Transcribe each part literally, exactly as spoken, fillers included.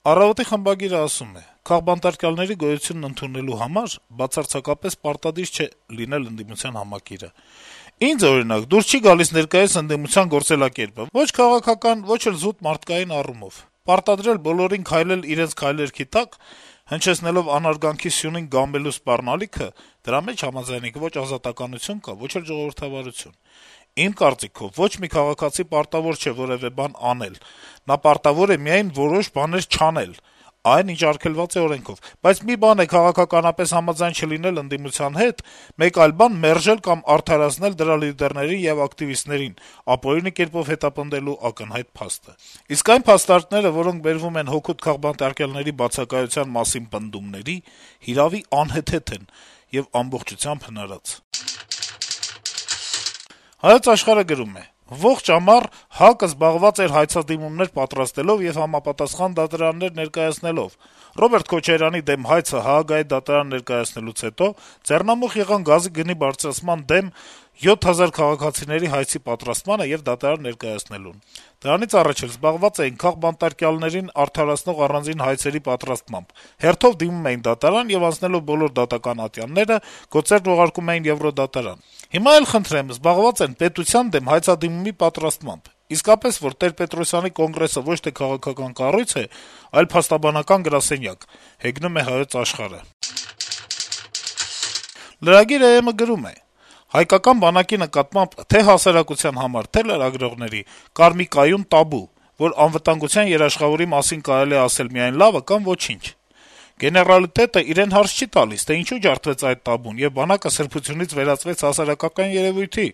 Առավոտի խմբագիրը ասում է. - «Քաղբանտարկյալների գոյությունն ընդունելու համար բացարձակապես պարտադիր չէ լինել ընդդիմության համակիրը: Ինձ, օրինակ, դուր չի գալիս ներկայիս ընդդիմության գործելակերպը ո՛չ քաղաքական, ո՛չ էլ զուտ մարդկային առումով: Պարտադրել բոլորին քայլել իրենց քայլերքի տակ, հնչեցնելով անարգանքի սյունին գամբելու սպառնալիքը, դրա մեջ համաձայնեք, ոչ ազատականություն կա, ոչ էլ ժողովրդավարություն: Իմ կարծիքով, ոչ մի քաղաքացի պարտավոր չէ որեւէ բան անել: Նա պարտավոր է միայն որոշ բաներ չանել, այն, ինչ արգելված է օրենքով: Բայց մի բան է քաղաքականապես համաձայն չլինել ընդդիմության հետ, մեկ այլ բան մերժել կամ արդարացնել դրա լիդերներին եւ ակտիվիստներին, ապօրինի կերպով հետապնդելու ակնհայտ փաստը: Իսկ այն փաստարկները, որոնք բերվում են հօգուտ քաղբանտարկյալների բացակայության մասին պնդումների, հիրավի անհեթեթ են եւ ամբողջությամբ հնարած»: «Հայոց Աշխարհ»-ը գրում է. - «Ողջ ամառ ՀԱԿ-ը զբաղված էր հայցադիմումներ պատրաստելով եւ համապատասխան դատարաններ ներկայացնելով: Ռոբերտ Քոչարյանի դեմ հայցը Հաագայի դատարան ներկայացնելուց հետո ձեռնամուխ եղան գազի գնի բարձրացման դեմ յոթ հազար քաղաքացիների հայցի պատրաստմանը եւ դատարան ներկայացնելուն: Դրանից առաջ էլ զբաղված էին քաղբանտարկյալներին արդարացնող առանձին հայցերի պատրաստմամբ: Հերթով դիմում էին դատարան եւ անցնելով բոլոր դատական ատյանները գործերն ուղարկում էին Եվրոդատարան: Հիմա էլ, խնդրեմ, զբաղված են պետության դեմ հայցադիմումի պատրաստմամբ: Իսկապես, որ Տեր-Պետրոսյանի կոնգրեսը ոչ թե քաղաքական կառույց է, այլ փաստաբանական գրասենյակ»: Lragir.am-ը գրում է. - «Հայկական բանակի նկատմամբ թե' հասարակության համար, թե' լրագրողների կար մի կայուն տաբու, որ անվտանգության երաշխավորի մասին կարելի է ասել միայն լավը կամ ոչինչ: Գեներալիտետը իրեն հարց չի տալիս, թե ինչու ջարդվեց այդ տաբուն, եւ բանակը սրբությունից վերածվեց հասարակական երեւույթի,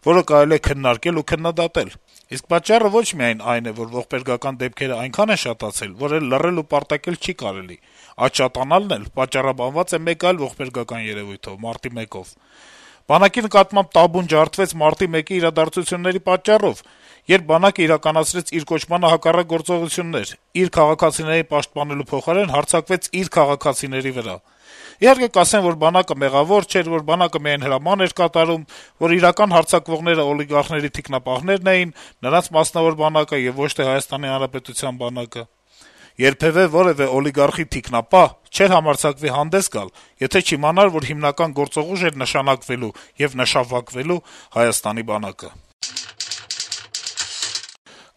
որը կարելի է քննարկել ու քննադատել: Իսկ պատճառը ոչ միայն այն է, որ ողբերգական դեպքերը այնքան են շատացել, որ էլ լռել ու պարտակել չի կարելի: Այդ շատանալն էլ պատճառաբանված է մեկ այլ ողբերգական երեւույթով` մարտի մեկով: Բանակի նկատմամբ տաբուն ջարդվեց մարտի մեկի իրադարձությունների պատճառով, երբ բանակը իրականացրեց իր կոչմանը հակառակ գործողություններ, իր քաղաքացիներին պաշտպանելու փոխարեն հարձակվեց իր քաղաքացիների վրա: Իհարկե, կասեն, որ բանակը մեղավոր չէր, որ բանակը միայն հրաման էր կատարում, որ իրական հարձակվողները օլիգարխների թիկնապահներն էին, նրանց մասնավոր բանակը եւ ոչ թե Հայաստանի Հանրապետության բանակը: Երբեւէ որեւէ օլիգարխի թիկնապահ չէր համարձակվի հանդես գալ, եթե չիմանար, որ հիմնական գործողուժ էր նշանակվելու եւ նշավվակվելու Հայաստանի բանակը»: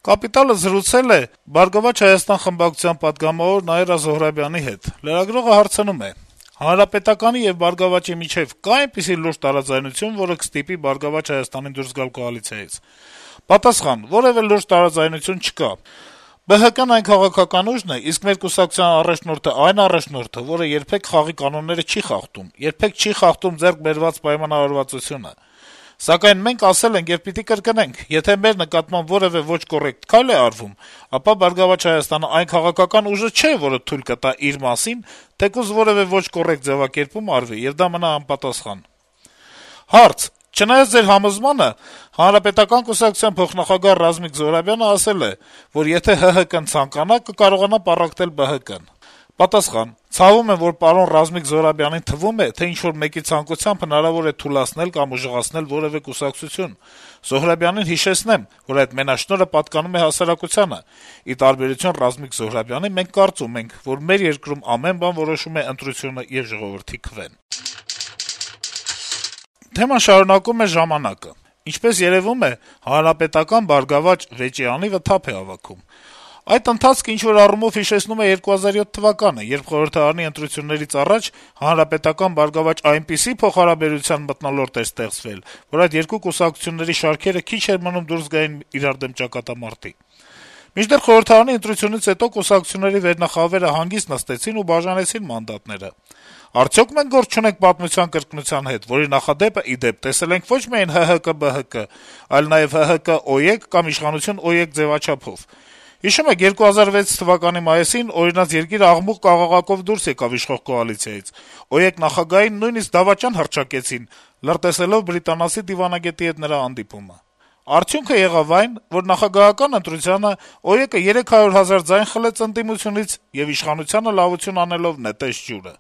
«Կապիտալ»-ը զրուցել է «Բարգավաճ Հայաստան» խմբակցության պատգամավոր Նաիրա Զոհրաբյանի հետ: Լրագրողը հարցնում է. - «Հանրապետականի եւ ԲՀԿ-ի միջեւ կա՞ այնպիսի լուրջ տարաձայնություն, որը կստիպի «Բարգավաճ Հայաստանին» դուրս գալ կոալիցիայից»: Պատասխան. - «Որեւէ լուրջ տարաձայնություն չկա: ԲՀԿ-ն այն քաղաքական ուժն է, իսկ մեր կուսակցության առաջնորդը այն առաջնորդը, որը երբեք խաղի կանոնները չի խախտում, երբեք չի խախտում ձեռք բերված պայմանավորվածությունը: Սակայն մենք ասել ենք եւ պիտի կրկնենք. եթե մեր նկատմամբ որեւէ ոչ կոռեկտ քայլ է արվում, ապա «Բարգավաճ Հայաստանը» այն քաղաքական ուժը չէ, որը թույլ կտա իր մասին թեկուզ որեւէ ոչ կոռեկտ ձեւակերպում արվի, եւ դա մնա անպատասխան»: Հարց. - «Չնայած ձեր համոզմանը, Հանրապետական կուսակցության փոխնախագահ Ռազմիկ Զոհրաբյանը ասել է, որ եթե ՀՀԿ-ն ցանկանա, կկարողանա պառակտել ԲՀԿ-ն»: Պատասխան. - «Ցավում եմ, որ պարոն Ռազմիկ Զոհրաբյանին թվում է, թե ինչ-որ մեկի ցանկությամբ հնարավոր է թուլացնել կամ ուժեղացնել որեւէ կուսակցություն: Զոհրաբյանին հիշեցնեմ, որ այդ մենաշնորհը պատկանում է հասարակությանը: Ի տարբերություն Ռազմիկ Զոհրաբյանի, մենք կարծում ենք, որ մեր երկրում ամեն բան որոշում է ընտրությունը եւ ժողովրդի քվեն»: Թեման շարունակում է «Ժամանակ»-ը. - «Ինչպես երեւում է, Հանրապետական-Բարգավաճ վեճի անիվը թափ է հավաքում: Այդ ընթացքը ինչ-որ առումով հիշեցնում է երկու հազար յոթ թվականը, երբ խորհրդարանի ընտրություններից առաջ Հանրապետական-Բարգավաճ այնպիսի փոխհարաբերության մթնոլորտ էր ստեղծվել, որ այդ երկու կուսակցությունների շարքերը քիչ էր մնում դուրս գային իրար դեմ ճակատամարտի: Մինչդեռ խորհրդարանի ընտրությունից հետո կուսակցությունների վերնախավերը հանգիստ նստեցին ու բաժանեցին մանդատները: Արդյո՞ք մենք գործ չունենք պատմության կրկնության հետ, որի նախադեպը, ի դեպ, տեսել ենք ոչ միայն ՀՀԿ-ԲՀԿ, այլ նաեւ ՀՀԿ-ՕԵԿ կամ իշխանություն-ՕԵԿ ձեւաչափով: Հիշում եք երկու հազար վեց թվականի մայիսին օրինակ երկիրը աղմուկ-կաղաղակով դուրս եկավ իշխող կոալիցիայից: ՕԵԿ նախագահին նույնիսկ դավաճան հռչակեցին` լրտեսելով բրիտանացի դիվանագետի հետ նրա հանդիպումը: Արդյունքը եղավ այն, որ նախագահական ընտրությանը ՕԵԿ-ը երեք հարյուր հազար ձայն խլեց ընդդիմությունից եւ իշխանությանը լավություն անելով նետեց ջուրը»: